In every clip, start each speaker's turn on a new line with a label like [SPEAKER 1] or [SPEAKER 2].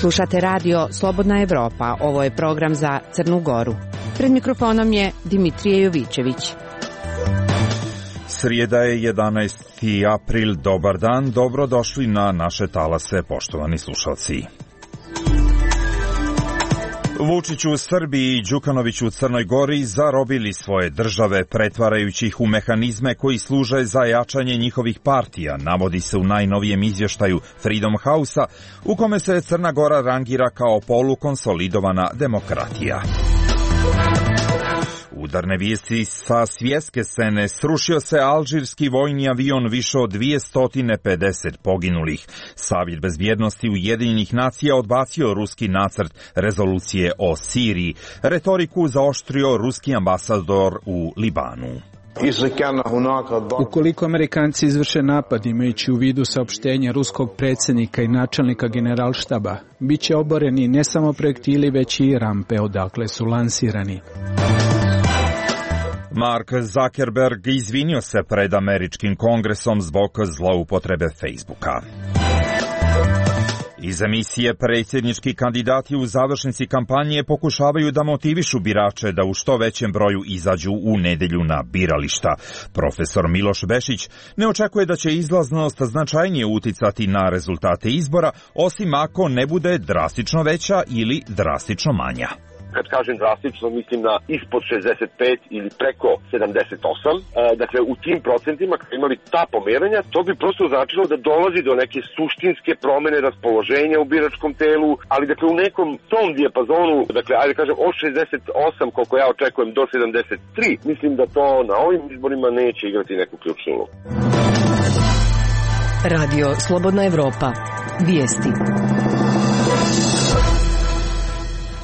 [SPEAKER 1] Slušate radio Slobodna Evropa, ovo je program za Crnu Goru. Pred mikrofonom je Dimitrije Jovićević.
[SPEAKER 2] Srijeda je 11. april, dobar dan, dobrodošli na naše talase, poštovani slušalci. Vučić u Srbiji i Đukanović u Crnoj Gori zarobili svoje države, pretvarajući ih u mehanizme koji služe za jačanje njihovih partija, navodi se u najnovijem izvještaju Freedom House-a, u kome se Crna Gora rangira kao polukonsolidovana demokratija. Udarne vijesti sa svjetske scene: srušio se alžirski vojni avion, više od 250 poginulih. Savjet bezbjednosti Ujedinjenih nacija odbacio ruski nacrt rezolucije o Siriji. Retoriku zaoštrio ruski ambasador u Libanu.
[SPEAKER 3] Ukoliko Amerikanci izvrše napad imajući u vidu saopštenja ruskog predsjednika i načelnika generalštaba, bit će oboreni ne samo projektili, već i rampe odakle su lansirani.
[SPEAKER 2] Mark Zuckerberg izvinio se pred američkim kongresom zbog zloupotrebe Facebooka. Iz emisije predsjednički kandidati u završnici kampanje pokušavaju da motivišu birače da u što većem broju izađu u nedjelju na birališta. Profesor Miloš Bešić ne očekuje da će izlaznost značajnije uticati na rezultate izbora, osim ako ne bude drastično veća ili drastično manja.
[SPEAKER 4] Kad kažem drastično, mislim na ispod 65 ili preko 78. Dakle, u tim procentima, kad imali ta pomeranja, to bi prosto značilo da dolazi do neke suštinske promjene raspoloženja u biračkom telu, ali dakle u nekom tom dijapazonu, dakle, ajde kažem od 68, koliko ja očekujem, do 73, mislim da to na ovim izborima neće igrati neku ključnu ulogu.
[SPEAKER 1] Radio Slobodna Evropa. Vijesti.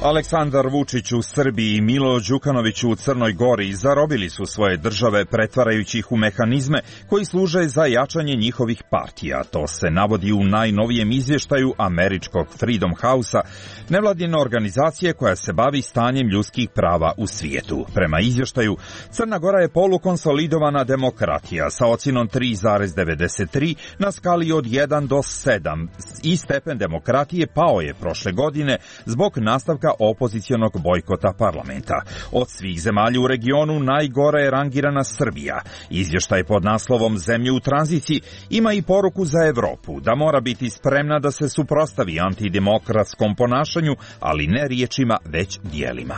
[SPEAKER 2] Aleksandar Vučić u Srbiji i Milo Đukanović u Crnoj Gori zarobili su svoje države, pretvarajući ih u mehanizme koji služe za jačanje njihovih partija. To se navodi u najnovijem izvještaju američkog Freedom House-a, nevladine organizacije koja se bavi stanjem ljudskih prava u svijetu. Prema izvještaju, Crna Gora je polukonsolidovana demokratija sa ocjenom 3,93 na skali od 1 do 7 i stepen demokratije pao je prošle godine zbog nastavka opozicionog bojkota parlamenta. Od svih zemalja u regionu najgore je rangirana Srbija. Izvještaj pod naslovom Zemlje u tranziciji ima i poruku za Evropu da mora biti spremna da se suprotstavi antidemokratskom ponašanju, ali ne riječima, već djelima.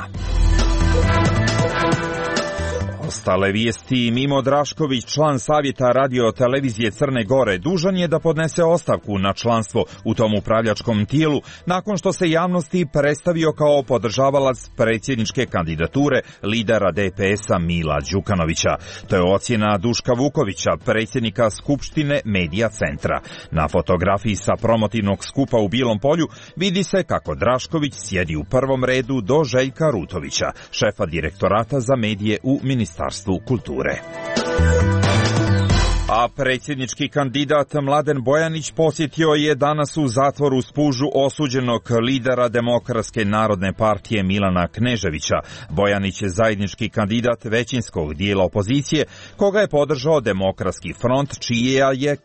[SPEAKER 2] Ostale vijesti: Mimo Drašković, član savjeta radio televizije Crne Gore, dužan je da podnese ostavku na članstvo u tom upravljačkom tijelu nakon što se javnosti predstavio kao podržavalac predsjedničke kandidature lidera DPS-a Mila Đukanovića. To je ocjena Duška Vukovića, predsjednika Skupštine Medija centra. Na fotografiji sa promotivnog skupa u Bijelom polju vidi se kako Drašković sjedi u prvom redu do Željka Rutovića, šefa direktorata za medije u Ministarstvu kulture. A predsjednički kandidat Mladen Bojanić posjetio je danas u zatvoru u Spužu osuđenog lidera Demokratske narodne partije Milana Kneževića. Bojanić je zajednički kandidat većinskog dijela opozicije, koga je podržao Demokratski front, čije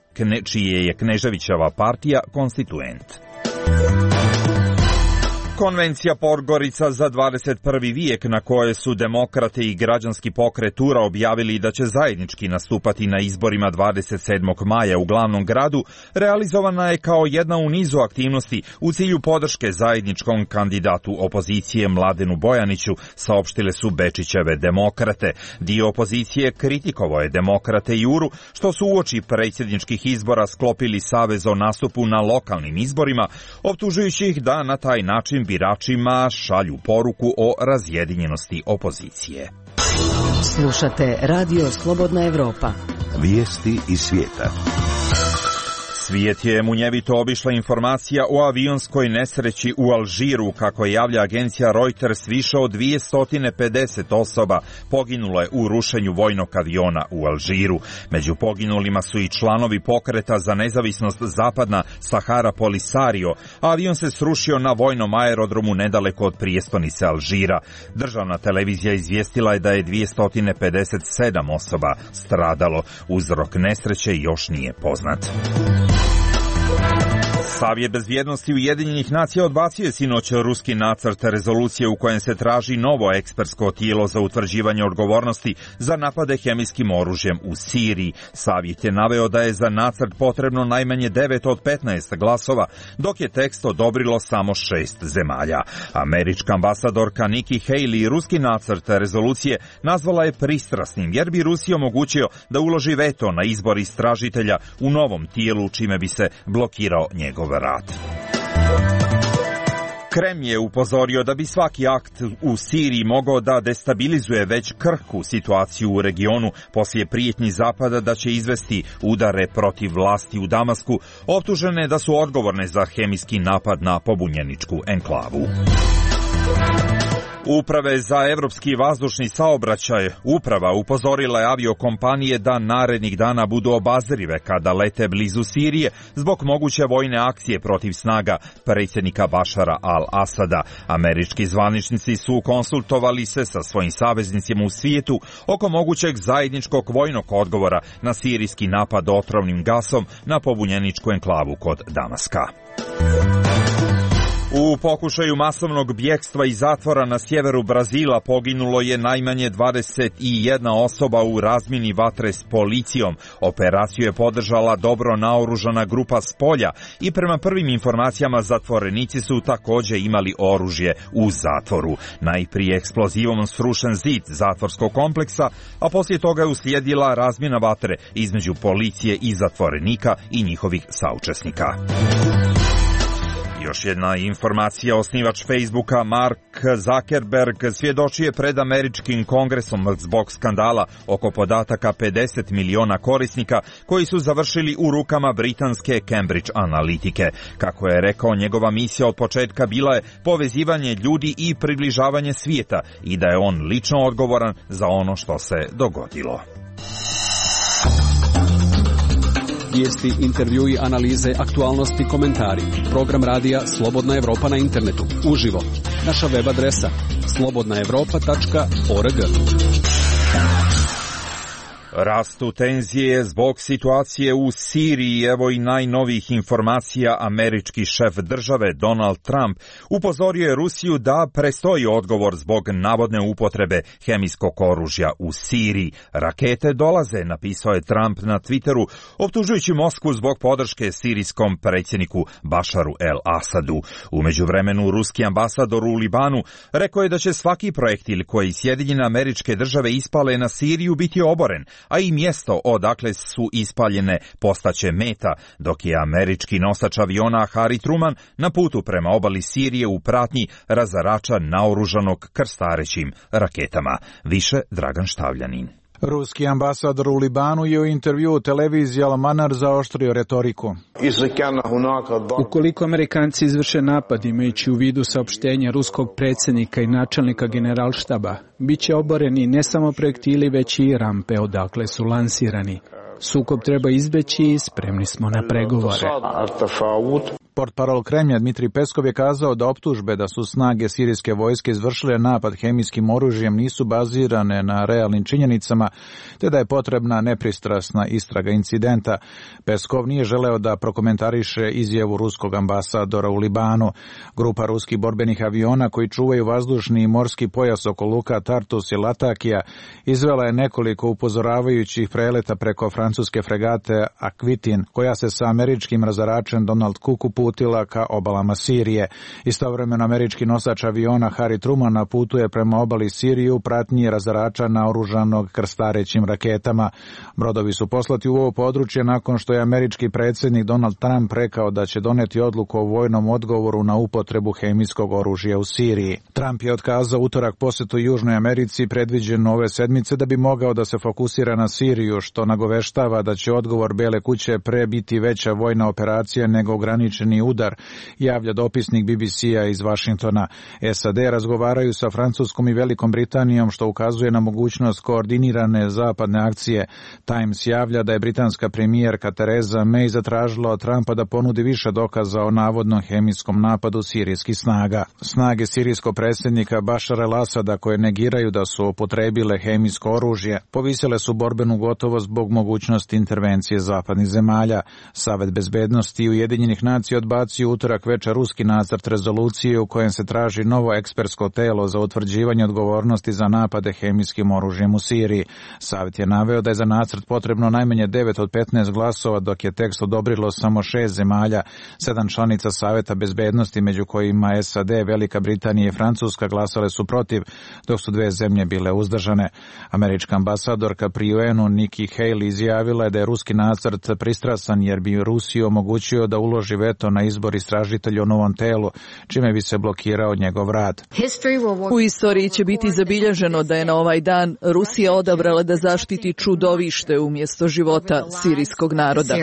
[SPEAKER 2] je Kneževićeva partija konstituent. Konvencija Podgorica za 21. vijek, na koje su demokrate i građanski pokret URA objavili da će zajednički nastupati na izborima 27. maja u glavnom gradu, realizovana je kao jedna u nizu aktivnosti u cilju podrške zajedničkom kandidatu opozicije Mladenu Bojaniću, saopštile su Bečićeve demokrate. Dio opozicije kritikovao je demokrate i URU što su uoči predsjedničkih izbora sklopili savez o nastupu na lokalnim izborima, optužujući ih da na taj način biračima šalju poruku o razjedinjenosti opozicije.
[SPEAKER 1] Slušate Radio Slobodna Evropa.
[SPEAKER 5] Vijesti iz svijeta.
[SPEAKER 2] Svijet je munjevito obišla informacija o avionskoj nesreći u Alžiru. Kako javlja agencija Reuters, više od 250 osoba poginulo je u rušenju vojnog aviona u Alžiru. Među poginulima su i članovi pokreta za nezavisnost Zapadna Sahara Polisario. Avion se srušio na vojnom aerodromu nedaleko od prijestolnice Alžira. Državna televizija izvijestila je da je 257 osoba stradalo. Uzrok nesreće još nije poznat. Savjet bezbjednosti Ujedinjenih nacija odbacio je sinoć ruski nacrt rezolucije u kojem se traži novo ekspertsko tijelo za utvrđivanje odgovornosti za napade hemijskim oružjem u Siriji. Savjet je naveo da je za nacrt potrebno najmanje 9 od 15 glasova, dok je tekst odobrilo samo 6 zemalja. Američka ambasadorka Nikki Haley ruski nacrt rezolucije nazvala je pristrasnim, jer bi Rusiji omogućio da uloži veto na izbor istražitelja u novom tijelu, čime bi se blokirao njegov rad. Kreml je upozorio da bi svaki akt u Siriji mogao da destabilizuje već krhku situaciju u regionu poslije prijetnji Zapada da će izvesti udare protiv vlasti u Damasku, optužene da su odgovorne za hemijski napad na pobunjeničku enklavu. Uprave za evropski vazdušni saobraćaj uprava upozorila je aviokompanije da narednih dana budu obazrive kada lete blizu Sirije zbog moguće vojne akcije protiv snaga predsjednika Bašara al-Asada. Američki zvaničnici su konsultovali se sa svojim saveznicima u svijetu oko mogućeg zajedničkog vojnog odgovora na sirijski napad otrovnim gasom na pobunjeničku enklavu kod Damaska. U pokušaju masovnog bjegstva iz zatvora na sjeveru Brazila poginulo je najmanje 21 osoba u razmjeni vatre s policijom. Operaciju je podržala dobro naoružana grupa s polja i prema prvim informacijama zatvorenici su također imali oružje u zatvoru. Najprije eksplozivom srušen zid zatvorskog kompleksa, a poslije toga je uslijedila razmjena vatre između policije i zatvorenika i njihovih saučesnika. Još jedna informacija, osnivač Facebooka Mark Zuckerberg svjedočio je pred američkim kongresom zbog skandala oko podataka 50 miliona korisnika koji su završili u rukama britanske Cambridge Analytike. Kako je rekao, njegova misija od početka bila je povezivanje ljudi i približavanje svijeta i da je on lično odgovoran za ono što se dogodilo.
[SPEAKER 6] Vijesti, intervjui, analize, aktualnosti, komentari. Program radija Slobodna Evropa na internetu. Uživo. Naša web adresa slobodnaevropa.org.
[SPEAKER 2] Rastu tenzije zbog situacije u Siriji. Evo i najnovijih informacija. Američki šef države Donald Trump upozorio je Rusiju da prestoji odgovor zbog navodne upotrebe hemijskog oružja u Siriji. Rakete dolaze, napisao je Trump na Twitteru, optužujući Moskvu zbog podrške sirijskom predsjedniku Bašaru el-Asadu. U međuvremenu ruski ambasador u Libanu rekao je da će svaki projektil koji Sjedinjene Američke Države ispale na Siriju biti oboren, a i mjesto odakle su ispaljene postaće meta, dok je američki nosač aviona Harry Truman na putu prema obali Sirije u pratnji razarača naoružanog krstarećim raketama. Više Dragan Štavljanin.
[SPEAKER 7] Ruski ambasador u Libanu je u intervjuu televiziji Al-Manar zaoštrio retoriku.
[SPEAKER 3] Ukoliko Amerikanci izvrše napad imajući u vidu saopštenja ruskog predsjednika i načelnika generalštaba, bit će oboreni ne samo projektili već i rampe odakle su lansirani. Sukob treba izbeći i spremni smo na pregovore.
[SPEAKER 7] Portparol Kremlja Dmitrij Peskov je kazao da optužbe da su snage sirijske vojske izvršile napad hemijskim oružjem nisu bazirane na realnim činjenicama, te da je potrebna nepristrasna istraga incidenta. Peskov nije želeo da prokomentariše izjavu ruskog ambasadora u Libanu. Grupa ruskih borbenih aviona koji čuvaju vazdušni i morski pojas oko luka Tartus i Latakija izvela je nekoliko upozoravajućih preleta preko francuske fregate Aquitin, koja se sa američkim razaračem Donald Cook uputila ka obalama Sirije. Istovremeno američki nosač aviona Harry Truman putuje prema obali Sirije u pratnji razarača naoružanog krstarećim raketama. Brodovi su poslati u ovo područje nakon što je američki predsjednik Donald Trump rekao da će doneti odluku o vojnom odgovoru na upotrebu hemijskog oružja u Siriji. Trump je otkazao utorak posjetu Južnoj Americi predviđenu ove sedmice da bi mogao da se fokusira na Siriju, što nagoveštava da će odgovor Bele kuće pre biti veća vojna operacija nego ograničeni udar, javlja dopisnik BBC-a iz Vašingtona. SAD razgovaraju sa Francuskom i Velikom Britanijom, što ukazuje na mogućnost koordinirane zapadne akcije. Times javlja da je britanska premijerka Theresa May zatražila od Trumpa da ponudi više dokaza o navodnom hemijskom napadu sirijskih snaga. Snage sirijskog predsjednika Bašara el-Asada, koje negiraju da su upotrebile hemijsko oružje, povisile su borbenu gotovost zbog mogućnosti mogućnost intervencije zapadnih zemalja. Savet bezbednosti Ujedinjenih nacija odbacio utorak večer ruski nacrt rezolucije u kojem se traži novo ekspertsko telo za utvrđivanje odgovornosti za napade hemijskim oružjem u Siriji. Savet je naveo da je za nacrt potrebno najmanje 9 od 15 glasova, dok je tekst odobrilo samo 6 zemalja. 7 članica Saveta bezbednosti, među kojima SAD, Velika Britanija i Francuska, glasale su protiv, dok su 2 zemlje bile uzdržane. Američka ambasadorka pri UN-u Nikki Haley izjavila je da je ruski nacrt pristrasan jer bi Rusiji omogućio da uloži veto na izbor istražitelja o novom telu, čime bi se blokirao njegov rad.
[SPEAKER 8] U istoriji će biti zabilježeno da je na ovaj dan Rusija odabrala da zaštiti čudovište umjesto života sirijskog naroda.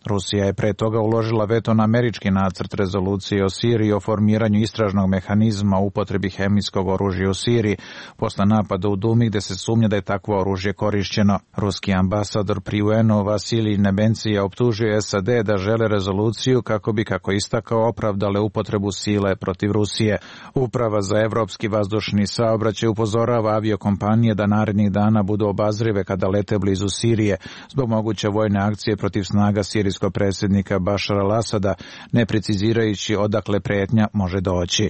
[SPEAKER 7] Rusija je pre toga uložila veto na američki nacrt rezolucije o Siriji o formiranju istražnog mehanizma u upotrebi hemijskog oružja u Siriji posle napada u Dumi gde se sumnja da je takvo oružje korišćeno. Ruski ambasador pri UN-u Vasilij Nebencija optužuje SAD da žele rezoluciju kako bi, kako istakao, opravdale upotrebu sile protiv Rusije. Uprava za evropski vazdušni saobraćaj upozorava aviokompanije da narednih dana budu obazrive kada lete blizu Sirije zbog moguće vojne akcije protiv snaga sirijskog predsjednika Bašara al-Asada, ne precizirajući odakle pretnja može doći.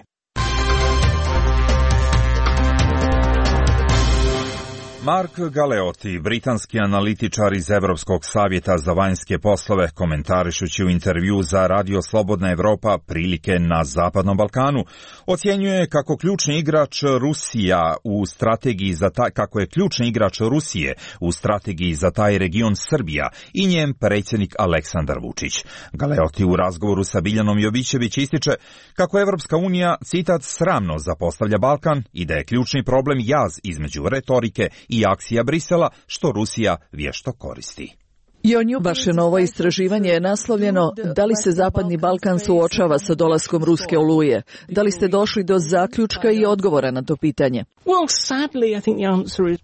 [SPEAKER 2] Mark Galeotti, britanski analitičar iz Evropskog savjeta za vanjske poslove, komentarišući u intervju za Radio Slobodna Evropa prilike na Zapadnom Balkanu, ocjenjuje kako ključni igrač Rusija u strategiji kako je ključni igrač Rusije u strategiji za taj region Srbija i njen predsjednik Aleksandar Vučić. Galeotti u razgovoru sa Biljanom Jovićević ističe kako Evropska unija, citat, sramno zapostavlja Balkan i da je ključni problem jaz između retorike i akcija Brisela, što Rusija vješto koristi.
[SPEAKER 8] Vaše novo istraživanje je naslovljeno Da li se Zapadni Balkan suočava sa dolaskom ruske oluje? Da li ste došli do zaključka i odgovora na to pitanje?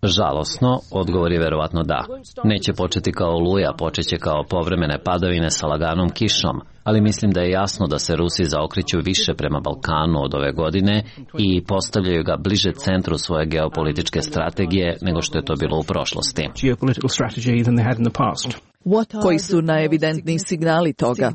[SPEAKER 9] Žalosno, odgovor je verovatno da. Neće početi kao oluja, počeće kao povremene padavine sa laganom kišom, ali mislim da je jasno da se Rusi zaokreću više prema Balkanu od ove godine i postavljaju ga bliže centru svoje geopolitičke strategije nego što je to bilo u prošlosti.
[SPEAKER 8] Koji su najevidentniji signali toga?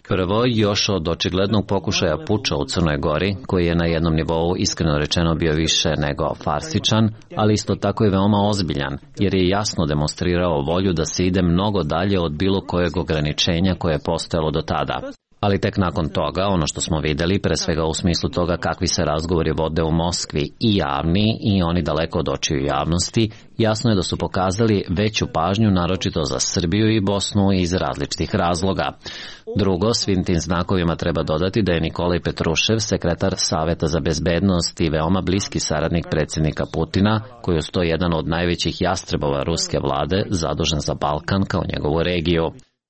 [SPEAKER 9] Prvo, još od očiglednog pokušaja puča u Crnoj Gori, koji je na jednom nivou iskreno rečeno bio više nego farsičan, ali isto tako i veoma ozbiljan, jer je jasno demonstrirao volju da se ide mnogo dalje od bilo kojeg ograničenja koje je postojalo do tada. Ali tek nakon toga, ono što smo vidjeli, pre svega u smislu toga kakvi se razgovori vode u Moskvi i javni i oni daleko od očiju javnosti, jasno je da su pokazali veću pažnju naročito za Srbiju i Bosnu iz različitih razloga. Drugo, svim tim znakovima treba dodati da je Nikolaj Petrušev, sekretar Saveta za bezbednost i veoma bliski saradnik predsjednika Putina, koji je to jedan od najvećih jastrebova ruske vlade, zadužen za Balkan kao njegovu regiju.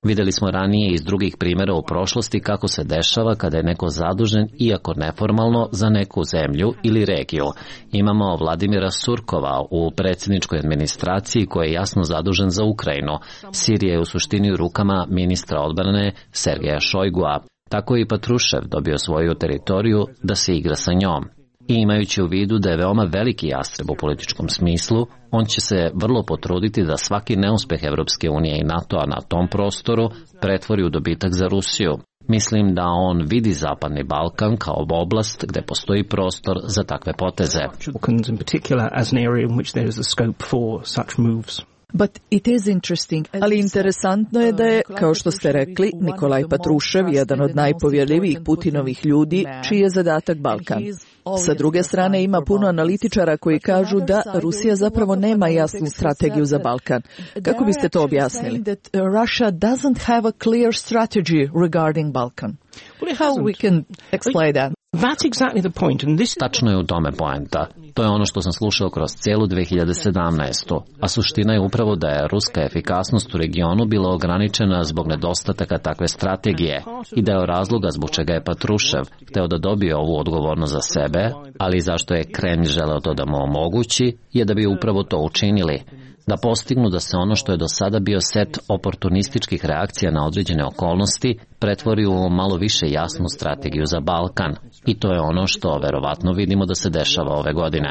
[SPEAKER 9] Vidjeli smo ranije iz drugih primjera u prošlosti kako se dešava kada je neko zadužen, iako neformalno, za neku zemlju ili regiju. Imamo Vladimira Surkova u predsjedničkoj administraciji koji je jasno zadužen za Ukrajinu. Sirija je u suštini u rukama ministra odbrane Sergeja Šojgua. Tako je i Patrušev dobio svoju teritoriju da se igra sa njom. I imajući u vidu da je veoma veliki jastreb u političkom smislu, on će se vrlo potruditi da svaki neuspeh Evropske unije i NATO-a na tom prostoru pretvori u dobitak za Rusiju. Mislim da on vidi Zapadni Balkan kao oblast gde postoji prostor za takve poteze.
[SPEAKER 8] Ali interesantno je da je, kao što ste rekli, Nikolaj Patrušev jedan od najpovjerljivijih Putinovih ljudi, čiji je zadatak Balkan. Sa druge strane, ima puno analitičara koji kažu da Rusija zapravo nema jasnu strategiju za Balkan. Kako biste to objasnili? Russia doesn't have a clear strategy regarding Balkan. How we can explain that?
[SPEAKER 9] Tačno je u tome poenta. To je ono što sam slušao kroz cijelu 2017. A suština je upravo da je ruska efikasnost u regionu bila ograničena zbog nedostataka takve strategije i da je razloga zbog čega je Patrušev hteo da dobije ovu odgovornost za sebe, ali zašto je Kremlj želeo to da mu omogući, je da bi upravo to učinili. Da postignu da se ono što je do sada bio set oportunističkih reakcija na određene okolnosti pretvori u malo više jasnu strategiju za Balkan. I to je ono što verovatno vidimo da se dešava ove godine.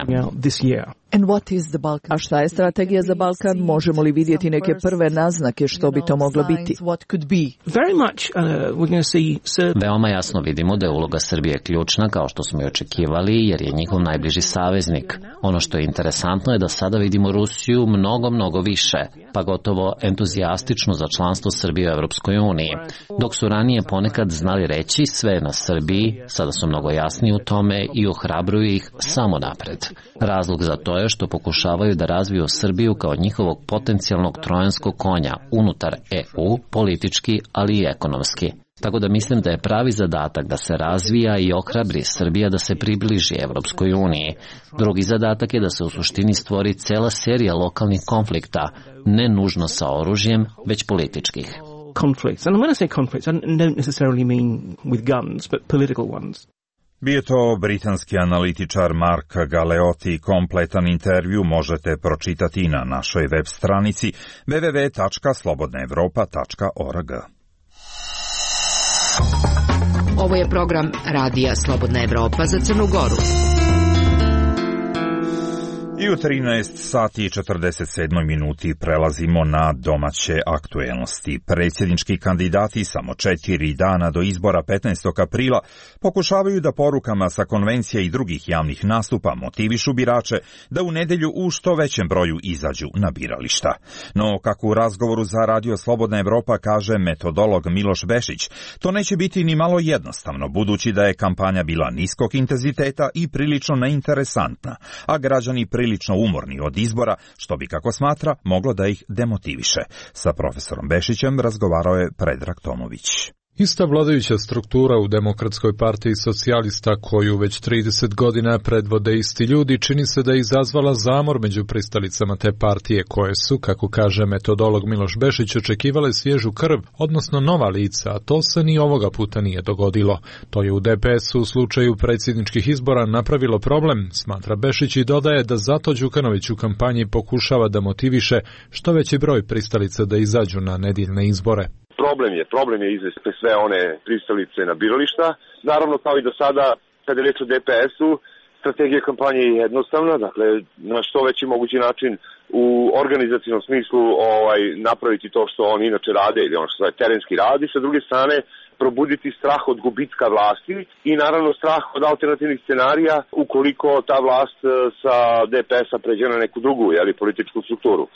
[SPEAKER 8] A šta je strategija za Balkan? Možemo li vidjeti neke prve naznake što bi to moglo biti?
[SPEAKER 9] Veoma jasno vidimo da je uloga Srbije ključna, kao što smo i očekivali, jer je njihov najbliži saveznik. Ono što je interesantno je da sada vidimo Rusiju mnogo više, pa gotovo entuzijastično za članstvo Srbije u Evropskoj uniji. Dok su ranije ponekad znali reći sve je na Srbiji, sada su mnogo jasniji u tome i ohrabruju ih samo napred. Razlog za to je što pokušavaju da razviju Srbiju kao njihovog potencijalnog trojanskog konja unutar EU, politički, ali i ekonomski. Tako da mislim da je pravi zadatak da se razvija i ohrabri Srbija da se približi Evropskoj uniji. Drugi zadatak je da se u suštini stvori cela serija lokalnih konflikta, ne nužno sa oružjem, već političkih.
[SPEAKER 10] Conflicts. And when I say conflicts, I don't necessarily mean with guns, but political ones.
[SPEAKER 2] Bio to britanski analitičar Mark Galeotti. Kompletan intervju možete pročitati na našoj web stranici www.slobodnaevropa.org.
[SPEAKER 1] Ovo je program Radija Slobodna Evropa za Crnu Goru.
[SPEAKER 2] I u 13 sati i 47 minuti prelazimo na domaće aktuelnosti. Predsjednički kandidati samo 4 dana do izbora 15. aprila pokušavaju da porukama sa konvencija i drugih javnih nastupa motivišu birače da u nedjelju u što većem broju izađu na birališta. No, kako u razgovoru za Radio Slobodna Evropa kaže metodolog Miloš Bešić, to neće biti ni malo jednostavno, budući da je kampanja bila niskog intenziteta i prilično neinteresantna, a građani prilično umorni od izbora, što bi, kako smatra, moglo da ih demotiviše. Sa profesorom Bešićem razgovarao je Predrag Tomović.
[SPEAKER 11] Ista vladajuća struktura u Demokratskoj partiji socijalista, koju već 30 godina predvode isti ljudi, čini se da je izazvala zamor među pristalicama te partije, koje su, kako kaže metodolog Miloš Bešić, očekivale svježu krv, odnosno nova lica, a to se ni ovoga puta nije dogodilo. To je u DPS-u u slučaju predsjedničkih izbora napravilo problem, smatra Bešić, i dodaje da zato Đukanović u kampanji pokušava da motiviše što veći broj pristalica da izađu na nedjeljne izbore.
[SPEAKER 4] Problem je izvesti sve one pristalice na birališta. Naravno, kao i do sada, kada je reč o DPS-u, strategija kampanje je jednostavna, dakle, na što veći mogući način u organizacijnom smislu napraviti to što oni inače rade ili ono što je terenski radi, sa druge strane probuditi strah od gubitka vlasti i naravno strah od alternativnih scenarija ukoliko ta vlast sa DPS-a pređe na neku drugu političku strukturu.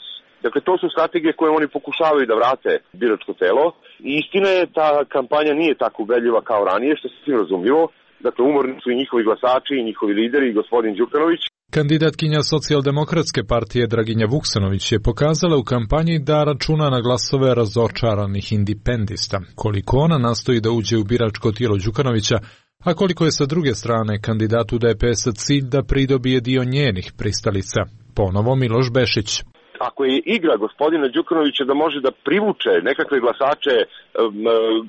[SPEAKER 4] Dakle, to su strategije koje oni pokušavaju da vrate biračko telo. I istina je, ta kampanja nije tako ubedljiva kao ranije, što se svim razumljivo. Dakle, umorni su i njihovi glasači, i njihovi lideri, i gospodin Đukanović.
[SPEAKER 11] Kandidatkinja Socijaldemokratske partije Draginja Vuksanović je pokazala u kampanji da računa na glasove razočaranih indipendista. Koliko ona nastoji da uđe u biračko tijelo Đukanovića, a koliko je sa druge strane kandidatu DPS-a cilj da pridobije dio njenih pristalica. Ponovo Miloš Bešić.
[SPEAKER 4] Ako je igra gospodina Đukanovića da može da privuče nekakve glasače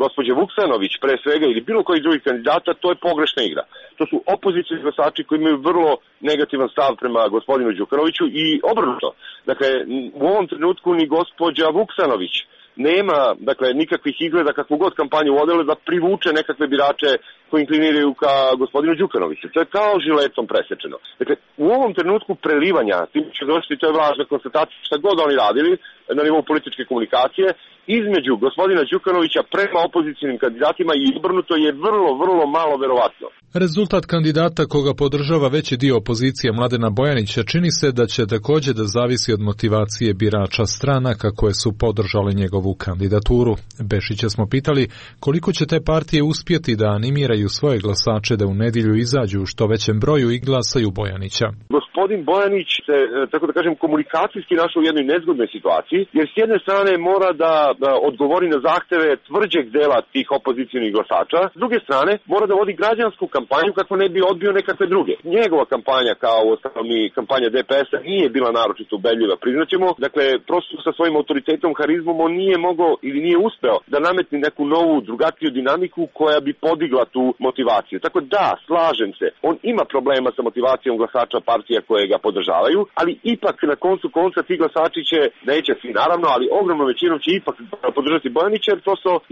[SPEAKER 4] gospođe Vuksanović pre svega ili bilo koji drugih kandidata, to je pogrešna igra. To su opozicioni glasači koji imaju vrlo negativan stav prema gospodinu Đukanoviću i obrnuto. Dakle, u ovom trenutku ni gospođa Vuksanović nema, dakle, nikakvih izgleda kakvu god kampanju vodile da privuče nekakve birače koji inkliniraju ka gospodinu Đukanoviću. To je kao žiletom presečeno. Dakle, u ovom trenutku prelivanja, tim će došli, to je važna konstatacija, šta god oni radili na nivou političke komunikacije, između gospodina Đukanovića prema opozicijnim kandidatima i obrnuto je vrlo malo verovatno.
[SPEAKER 11] Rezultat kandidata koga podržava veći dio opozicije Mladena Bojanića čini se da će također da zavisi od motivacije birača stranaka koje su podržale njegovu kandidaturu. Bešića smo pitali koliko će te partije uspjeti da animiraju svoje glasače da u nedjelju izađu u što većem broju i glasaju Bojanića.
[SPEAKER 4] Gospodin Bojanić se, tako da kažem, komunikacijski našao u jednoj nezgodnoj situaciji, jer s jedne strane mora da odgovori na zahteve tvrđeg dela tih opozicijnih glasača, s druge strane mora da vodi građansku kampanju kako ne bi odbio nekakve druge. Njegova kampanja, kao osnovni kampanja DPS-a, nije bila naročito ubedljiva, priznaćemo. Dakle, prosto sa svojim autoritetom, harizmom, on nije mogao ili nije uspeo da nametni neku novu, drugačiju dinamiku koja bi podigla tu motivaciju. Tako da, slažem se, on ima problema sa motivacijom glasača partija koje ga podržavaju, ali ipak na koncu konca ti glasači će, neće svi naravno, ali ogromnom većinom će ipak podržati Bojanića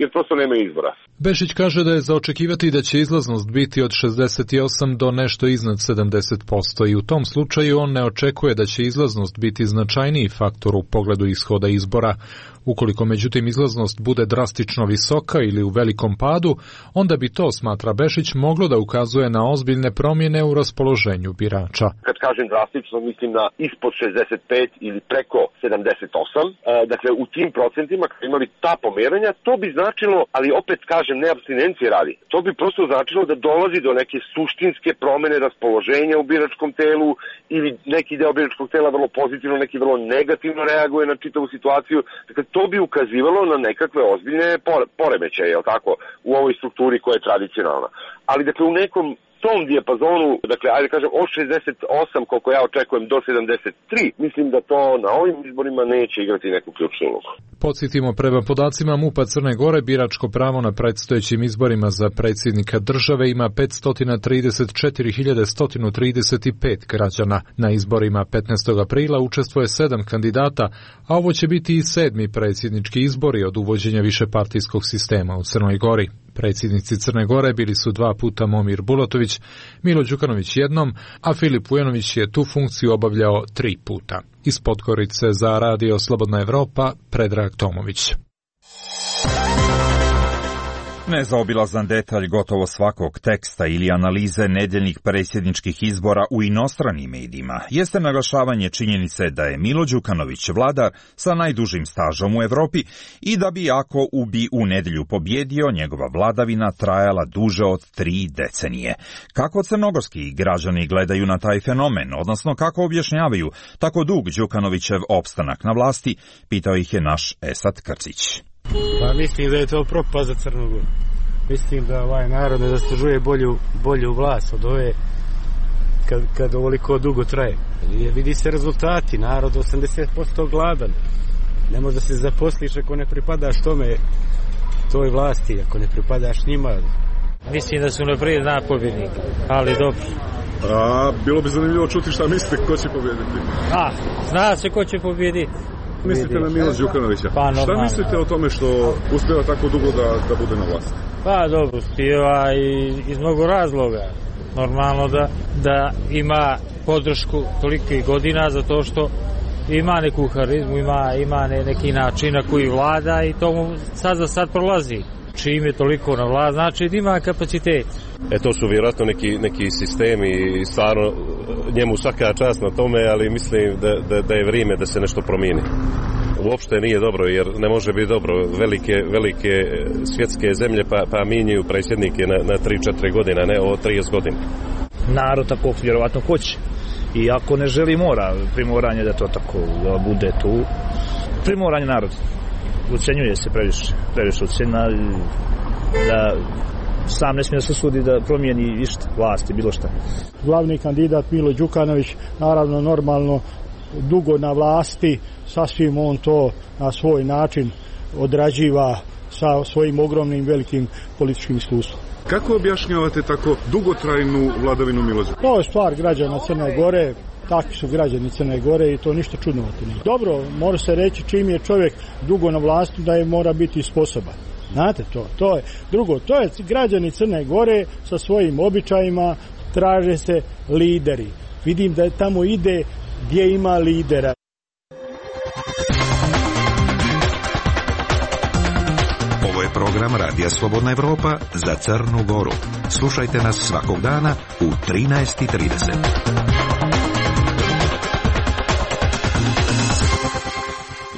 [SPEAKER 4] jer prosto nema izbora.
[SPEAKER 11] Bešić kaže da je za očekivati da će izlaznost biti od 68 do nešto iznad 70% i u tom slučaju on ne očekuje da će izlaznost biti značajniji faktor u pogledu ishoda izbora. Ukoliko međutim izlaznost bude drastično visoka ili u velikom padu, onda bi to, smatra Bešić, moglo da ukazuje na ozbiljne promjene u raspoloženju birača.
[SPEAKER 4] Kad kažem drastično, mislim na ispod 65 ili preko 78. Dakle, u tim procentima, kad imali ta pomeranja, to bi značilo, ali opet kažem, ne apstinencije radi, to bi prosto značilo da dolazi do neke suštinske promjene raspoloženja u biračkom telu ili neki deo biračkog tela vrlo pozitivno, neki vrlo negativno reaguje na čitavu situaciju. Dakle, to bi ukazivalo na nekakve ozbiljne poremećaje, jel tako, u ovoj strukturi koja je tradicionalna. Ali dakle u nekom tom dijapazonu, dakle ajde kažem od 68 koliko ja očekujem do 73, mislim da to na ovim izborima neće igrati neku ključnu ulogu.
[SPEAKER 11] Podsjetimo, prema podacima MUP-a Crne Gore, biračko pravo na predstojećim izborima za predsjednika države ima 534.135 građana. Na izborima 15. aprila učestvuje 7 kandidata, a ovo će biti i 7. predsjednički izbori od uvođenja višepartijskog sistema u Crnoj Gori. Predsjednici Crne Gore bili su 2 puta Momir Bulatović, Milo Đukanović jednom, a Filip Vujanović je tu funkciju obavljao 3 puta. Iz Podgorice za Radio Slobodna Evropa, Predrag Tomović.
[SPEAKER 2] Nezaobilazan detalj gotovo svakog teksta ili analize nedeljnih predsjedničkih izbora u inostranim medijima jeste naglašavanje činjenice da je Milo Đukanović vladar sa najdužim stažom u Evropi i da bi ako bi u nedjelju pobjedio, njegova vladavina trajala duže od 3 decenije. Kako crnogorski građani gledaju na taj fenomen, odnosno kako objašnjavaju tako dug Đukanovićev opstanak na vlasti, pitao ih je naš Esad Krcić.
[SPEAKER 12] Pa mislim da je to propast za Crnu Goru. Mislim da ovaj narod ne zaslužuje bolju vlast od ove kad ovoliko dugo traje. Vidi se rezultati, narod 80% gladan. Ne možda se zaposliš ako ne pripadaš toj vlasti, ako ne pripadaš njima. Mislim da su naprijed zna pobjednik, ali dobro.
[SPEAKER 13] Bilo bi zanimljivo čuti šta mislite ko će pobjediti.
[SPEAKER 12] Zna se ko će pobjediti.
[SPEAKER 13] Mislite na Milo Đukanovića? Šta mislite o tome što uspjeva tako dugo da bude na vlasti?
[SPEAKER 12] Pa dobro, uspjeva iz mnogo razloga. Normalno da ima podršku tolikih godina zato što ima neku harizmu, ima neki način na koji vlada i to mu sad za sad prolazi. Čim je toliko na vlast, znači da ima kapacitet.
[SPEAKER 14] To su vjerojatno neki sistemi i stvarno njemu svaka čast na tome, ali mislim da je vrijeme da se nešto promijeni. Uopšte nije dobro, jer ne može biti dobro. Velike svjetske zemlje pa minjaju predsjednike na 3-4 godina, ne o 30 godina.
[SPEAKER 15] Narod tako vjerovatno hoće. I ako ne želi mora, primoranje da to tako da bude tu. Primoranje naroda. Ucenjuje se previše ucena, da sam ne smije se sudi da promijeni išta, vlasti, bilo šta.
[SPEAKER 16] Glavni kandidat Milo Đukanović, naravno normalno dugo na vlasti, sasvim on to na svoj način odrađiva sa svojim ogromnim velikim političkim iskustvom.
[SPEAKER 13] Kako objašnjavate tako dugotrajnu vladavinu Mila Đukanovića?
[SPEAKER 16] To je stvar građana Crne Gore, takvi su građani Crne Gore i to ništa čudnovati nije. Dobro, mora se reći čim je čovjek dugo na vlasti da je mora biti sposoban. Znate to je. Drugo, to je građani Crne Gore sa svojim običajima, traže se lideri. Vidim da tamo ide gdje ima lidera.
[SPEAKER 5] Ovo je program Radija Slobodna Evropa za Crnu Goru. Slušajte nas svakog dana u 13:30.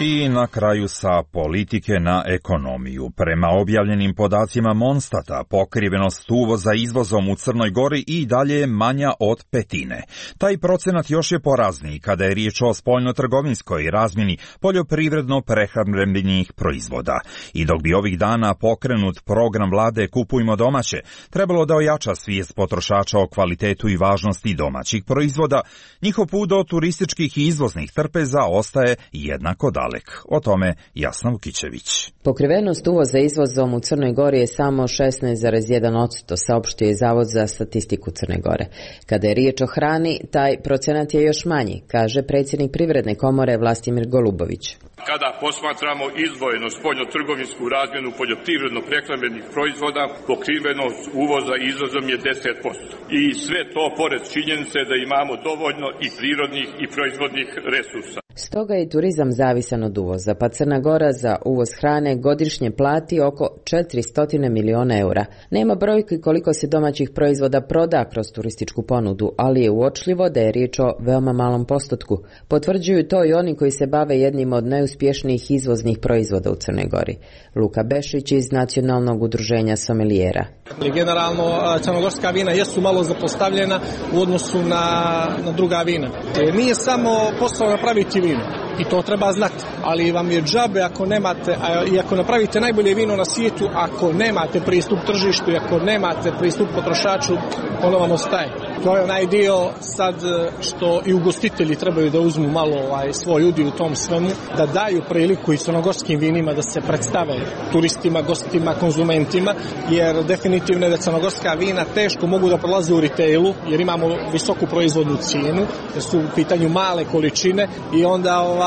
[SPEAKER 2] I na kraju sa politike na ekonomiju. Prema objavljenim podacima Monstata, pokrivenost uvoza izvozom u Crnoj Gori i dalje je manja od 1/5. Taj procenat još je porazniji kada je riječ o spoljnotrgovinskoj razmjeni poljoprivredno-prehrambenih proizvoda. I dok bi ovih dana pokrenut program vlade Kupujmo domaće, trebalo da ojača svijest potrošača o kvalitetu i važnosti domaćih proizvoda, njihov put do turističkih i izvoznih trpeza ostaje jednako daleko. zalek. O tome Jasna Vukićević.
[SPEAKER 1] Pokrivenost uvoza izvozom u Crnoj Gori je samo 16,1%, saopštio je Zavod za statistiku Crne Gore. Kada je riječ o hrani, taj procenat je još manji, kaže predsjednik Privredne komore Vlastimir Golubović.
[SPEAKER 17] Kada posmatramo izdvojeno spoljnotrgovinsku razmjenu poljoprivredno-prehrambenih proizvoda, pokrivenost uvoza izvozom je 10%. I sve to pored činjenice da imamo dovoljno i prirodnih i proizvodnih resursa.
[SPEAKER 1] Stoga je turizam zavisan od uvoza, pa Crna Gora za uvoz hrane godišnje plati oko 400 miliona eura. Nema brojki koliko se domaćih proizvoda proda kroz turističku ponudu, ali je uočljivo da je riječ o veoma malom postotku. Potvrđuju to i oni koji se bave jednim od najuspješnijih izvoznih proizvoda u Crnoj Gori. Luka Bešić iz Nacionalnog udruženja somelijera.
[SPEAKER 18] Generalno, crnogorska vina jesu malo zapostavljena u odnosu na druga vina. Nije samo posao napraviti vino, i to treba znati, ali vam je džabe ako nemate, i ako napravite najbolje vino na svijetu, ako nemate pristup tržištu i ako nemate pristup potrošaču, ono vam ostaje. To je onaj dio sad što i ugostitelji trebaju da uzmu malo svoj udio u tom svemu, da daju priliku i crnogorskim vinima da se predstave turistima, gostima, konzumentima, jer definitivno je da crnogorska vina teško mogu da prolaze u retailu, jer imamo visoku proizvodnu cijenu, jer su u pitanju male količine i onda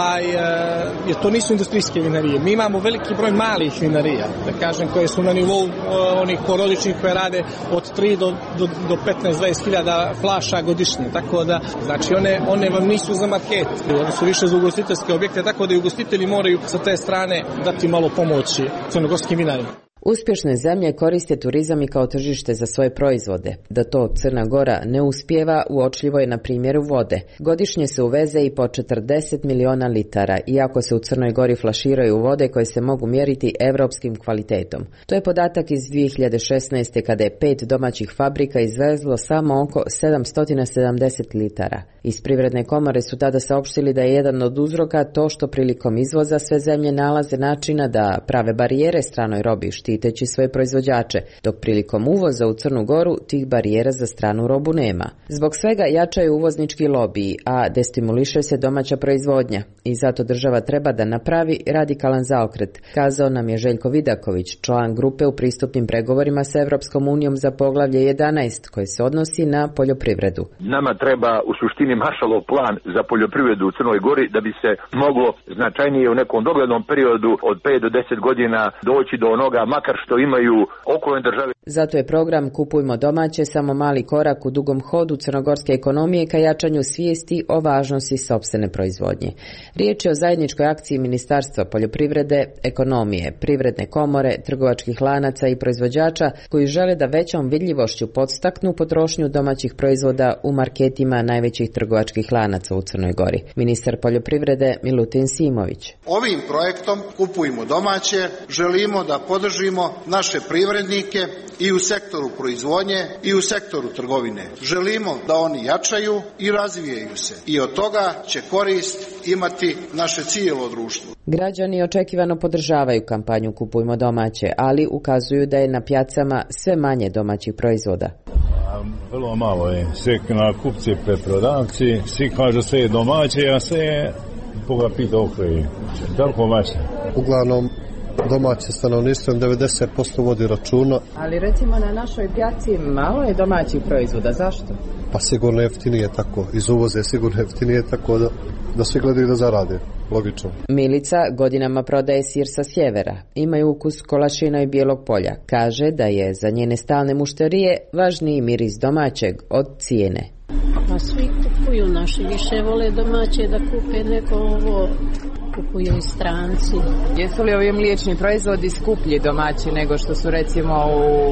[SPEAKER 18] jer to nisu industrijske vinarije. Mi imamo veliki broj malih vinarija, da kažem, koje su na nivou onih porodičnih koje rade od 3 do 15-20 hiljada flaša godišnje, tako da, znači one vam nisu za market, one su više za ugostiteljske objekte, tako da i ugostitelji moraju sa te strane dati malo pomoći crnogorskim vinarima.
[SPEAKER 1] Uspješne zemlje koriste turizam i kao tržište za svoje proizvode. Da to Crna Gora ne uspijeva, uočljivo je na primjeru vode. Godišnje se uveze i po 40 miliona litara, iako se u Crnoj Gori flaširaju vode koje se mogu mjeriti evropskim kvalitetom. To je podatak iz 2016. kada je 5 domaćih fabrika izvezlo samo oko 770 litara. Iz Privredne komore su tada saopštili da je jedan od uzroka to što prilikom izvoza sve zemlje nalaze načina da prave barijere stranoj robi, štiteći svoje proizvođače, dok prilikom uvoza u Crnu Goru tih barijera za stranu robu nema. Zbog svega jačaju uvoznički lobiji, a destimuliše se domaća proizvodnja i zato država treba da napravi radikalan zaokret, kazao nam je Željko Vidaković, član grupe u pristupnim pregovorima sa Evropskom unijom za poglavlje 11 koje se odnosi na poljoprivredu.
[SPEAKER 19] Nama treba u suštini Maršalov plan za poljoprivredu u Crnoj Gori da bi se moglo značajnije u nekom doglednom periodu od 5 do 10 godina doći do onoga makar što imaju okolne države.
[SPEAKER 1] Zato je program Kupujmo domaće samo mali korak u dugom hodu crnogorske ekonomije ka jačanju svijesti o važnosti sopstvene proizvodnje. Riječ je o zajedničkoj akciji Ministarstva poljoprivrede, ekonomije, Privredne komore, trgovačkih lanaca i proizvođača koji žele da većom vidljivošću podstaknu potrošnju domaćih proizvoda u marketima najvećih trgovačkih lanaca u Crnoj Gori. Ministar poljoprivrede Milutin Simović.
[SPEAKER 20] Ovim projektom Kupujmo domaće želimo da podržimo naše privrednike i u sektoru proizvodnje i u sektoru trgovine. Želimo da oni jačaju i razvijaju se i od toga će korist imati naše cijelo društvo.
[SPEAKER 1] Građani očekivano podržavaju kampanju Kupujmo domaće, ali ukazuju da je na pjacama sve manje domaćih proizvoda.
[SPEAKER 21] Vrlo malo je. Sve na kupci, preprodavci, svi kažu sve je domaće, a sve je koga pita okreje. Tako vaše.
[SPEAKER 22] Uglavnom domaće stanovništvo 90% vodi računa.
[SPEAKER 1] Ali recimo na našoj pjaci malo je domaćih proizvoda. Zašto?
[SPEAKER 22] Pa sigurno jeftinije tako. Iz uvoza je sigurno jeftinije tako da svi gledaju da zarade. Logično.
[SPEAKER 1] Milica godinama prodaje sir sa sjevera. Imaju ukus kolašina i bijelog polja. Kaže da je za njene stalne mušterije važniji miris domaćeg od cijene.
[SPEAKER 23] Pa svi kupuju, naši više vole domaće da kupe nego ovo, kupuju i stranci.
[SPEAKER 1] Jesu li ovi mliječni proizvodi skuplji domaći nego što su recimo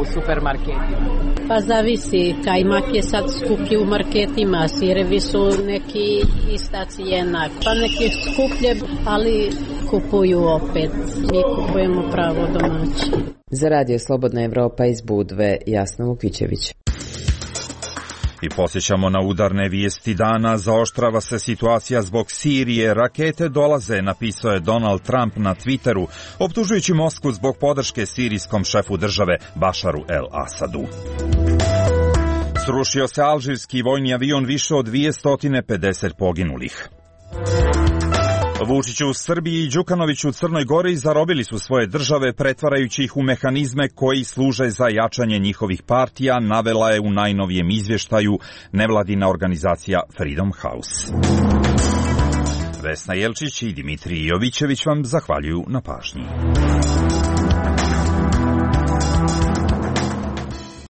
[SPEAKER 1] u supermarketima?
[SPEAKER 23] Pa zavisi, kajmak je sad skuplji u marketima, sirevi su neki ista cijena, pa neki skuplje, ali kupuju opet, mi kupujemo pravo domaće.
[SPEAKER 1] Za Radio Slobodna Evropa iz Budve, Jasna Vukićević.
[SPEAKER 2] I posjećamo na udarne vijesti dana, zaoštrava se situacija zbog Sirije, rakete dolaze, napisao je Donald Trump na Twitteru, optužujući Moskvu zbog podrške sirijskom šefu države Bašaru el-Asadu. Srušio se alžirski vojni avion, više od 250 poginulih. Vučić u Srbiji i Đukanović u Crnoj Gori zarobili su svoje države pretvarajući ih u mehanizme koji služe za jačanje njihovih partija, navela je u najnovijem izvještaju nevladina organizacija Freedom House. Vesna Jelčić i Dimitrij Jovićević vam zahvaljuju na pažnji.